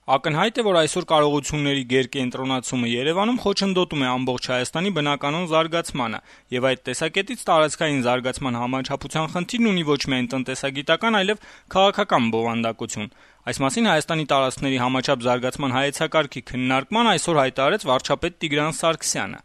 Ակնհայտ է, որ այսօր կարողությունների գերկենտրոնացումը Երևանում խոչընդոտում է ամբողջ Հայաստանի բնականոն զարգացմանը, եւ այդ տեսակետից տարածքային զարգացման համաչափության խնդիրն ունի ոչ միայն տնտեսագիտական, այլև քաղաքական բովանդակություն։ Այս մասին Հայաստանի տարածքների համաչափ զարգացման հայեցակարգի քննարկման այսօր հայտարարեց վարչապետ Տիգրան Սարգսյանը։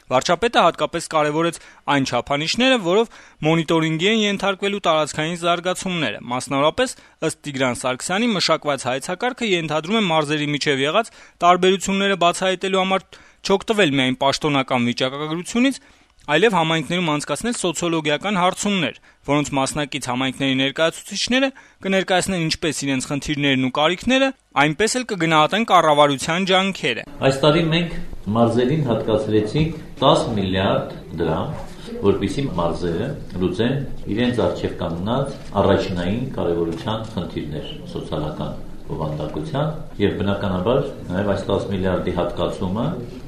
Վարչապետը հատկապես կարևորեց այն չափանիշները, որով մոնիտորինգի են ենթարկվելու տարածքային զարգացումները։ Մասնավորապես, ըստ Տիգրան Սարգսյանի, մշակված հայեցակարգը ենթադրում է մարզերի միջև եղած տարբերությունները բացահայտելու համար չօգտվել միայն պաշտոնական վիճակագրությունից, այլև համայնքներում անցկացնել սոցիոլոգիական հարցումներ, որոնց մասնակից համայնքների ներկայացուցիչները կներկայացնեն ինչպես իրենց խնդիրներն ու կարիքները, այնպես էլ կգնահատեն կառավարության ջանքերը։ Այս տարի մենք մարզերին հատկացրեցինք 10 միլիարդ դրամ, որպեսզի մարզերը լուծեն իրենց առջև կանգնած առաջնային կարևորության խնդիրներ սոցիալական բովանդակության եւ բնականաբար նաեւ այս 10 միլիարդի հատկացումը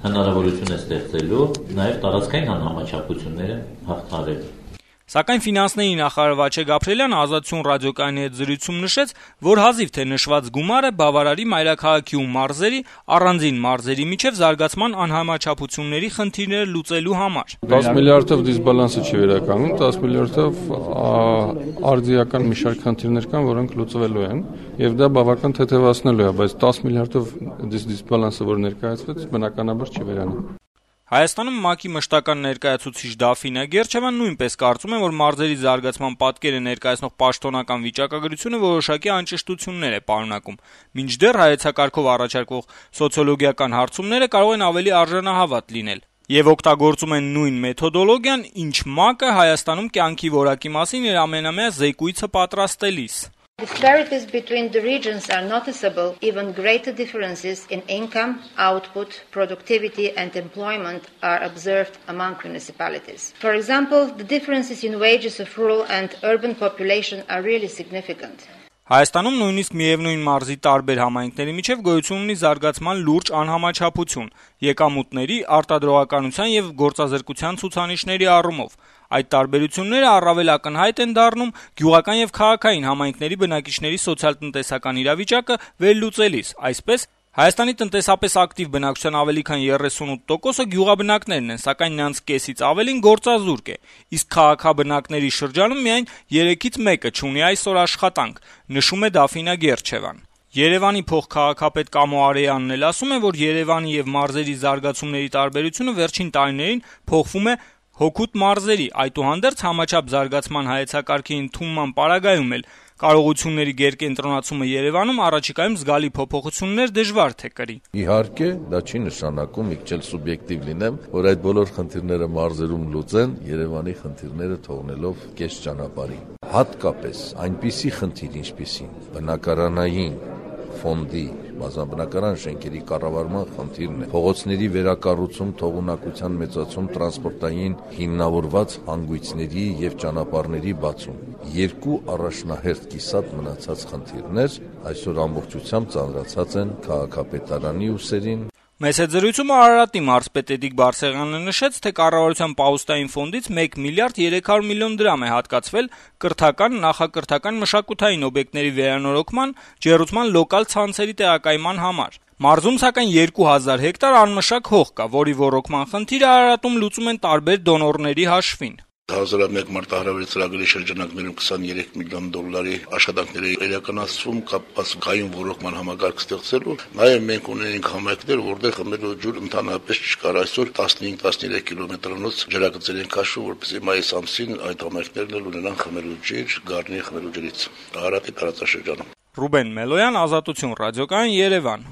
հնարավորություն է ստեղծելու նաեւ տարածքային անհամաչափությունները հաղթահարելու։ Սակայն ֆինանսների նախարար Վաչե Գաբրիելյանը Ազատություն ռադիոկայանի հետ զրույցում նշեց, որ հազիվ թե նշված գումարը բավարարի մայրաքաղաքի ու մարզերի առանձին մարզերի միջև զարգացման անհամաչափությունների խնդիրները լուծելու համար։ 10 միլիարդով դիսբալանսը չի վերականգնում, 10 միլիարդով արդիական մի շարք խնդիրներ կան, որոնք լուծվելու են, եւ դա բավական թեթևացնելու է, բայց 10 միլիարդով դիսբալանսը, որ ներկայացվեց, բնականաբար չի վերանի։ Հայաստանում ՄԱԿ-ի մշտական ներկայացուցիչ Դաֆինա Գերչևան նույնպես կարծում է, որ մարզերի զարգացման պատկերը ներկայացնող պաշտոնական վիճակագրությունը որոշակի անճշտություններ է պարունակում, մինչդեռ հայեցակարգով առաջարկվող սոցիոլոգիական հարցումները կարող են ավելի արժանահավատ լինել եւ օգտագործում են նույն մեթոդոլոգիան, ինչ ՄԱԿ-ը Հայաստանում կյանքի որակի մասին իր ամենամյա զեկույցը պատրաստելիս։ Disparities between the regions are noticeable, even greater differences in income, output, productivity and employment are observed among municipalities. For example, the differences in wages of rural and urban population are really significant. Հայաստանում նույնիսկ միևնույն մարզի տարբեր համայնքների միջև գոյություն ունի զարգացման լուրջ անհամաչափություն եկամուտների, արտադրողականության եւ գործազրկության ցուցանիշների առումով։ Այդ տարբերությունները առավել ակնհայտ են դառնում գյուղական եւ քաղաքային համայնքների բնակիչների սոցիալ-տնտեսական իրավիճակը վերլուծելիս, այսպես Հայաստանի տնտեսապես ակտիվ բնակչության ավելի քան 38%-ը գյուղաբնակներն են, սակայն նրանց կեսից ավելին գործազուրկ է, իսկ քաղաքաբնակների շրջանում միայն 3-ից 1-ը չունի այսօր աշխատանք, նշում է Դաֆինա Գերչևան։ Երևանի փոխքաղաքապետ Կամո Արեյանն էլ ասում է, որ Երևանի եւ մարզերի զարգացումների տարբերությունը վերջին տարիներին փոխվում է հօգուտ մարզերի, այդուհանդերձ համաչափ զարգացման հայեցակարգի ընդունման պարագայում էլ կարողությունների գերկենտրոնացումը Երևանում առաջիկայում զգալի փոփոխություններ դժվար թե կրի։ Իհարկե, դա չի նշանակում իջել սուբյեկտիվ լինեմ, որ այդ բոլոր խնդիրները մարզերում լուծեն, Երևանի խնդիրները թողնելով կես ճանապարհի։ Հատկապես այնպիսի խնդիր, ինչպիսին բնակարանային ֆոնդի բազմաբնակարան շենքերի կառավարման խնդիրն է, փողոցների վերակառուցում, թողունակության մեծացում, տրանսպորտային հիմնավորված հանգույցների եւ ճանապարհների բացում։ Երկու առաջնահերթ կիսատ մնացած խնդիրներ այսօր ամբողջությամբ ծանրացած են քաղաքապետարանի ուսերին։ Մեծ հետ զրույցում Արարատի մարզպետ Էդիկ Բարսեղյանը նշեց, թե կառավարության պահուստային ֆոնդից 1 միլիարդ 300 միլիոն դրամ է հատկացվել կրթական, նախակրթական մշակութային օբյեկտների վերանորոգման, ջեռուցման լոկալ ցանցերի տեղակայման համար։ Մարզում սակայն 2000 հեկտար անմշակ հող կա, որի ոռոգման խնդիրը Արարատում լուծում են տարբեր դոնորների հաշվին։ 2001 մարտահրավերի ծրագրի շրջանակներում 23 միլիոն դոլարի աշխատանքների իրականացվում կապված գայուն ոռոգման համակարգ ստեղծելու, նաև մենք ունենք համայնքներ, որտեղ խմելու ջուր ընդհանրապես չկար, այսօր 15-13 կիլոմետրանոց ջրագծեր են քաշում, որպեսզի մայիս ամսին այդ համայնքներն էլ ունենան խմելու ջուր, գարնի խմելու ջրից։ Արարատի տարածաշրջանում։ Ռուբեն Մելոյան, Ազատություն ռադիոկայան, Երևան։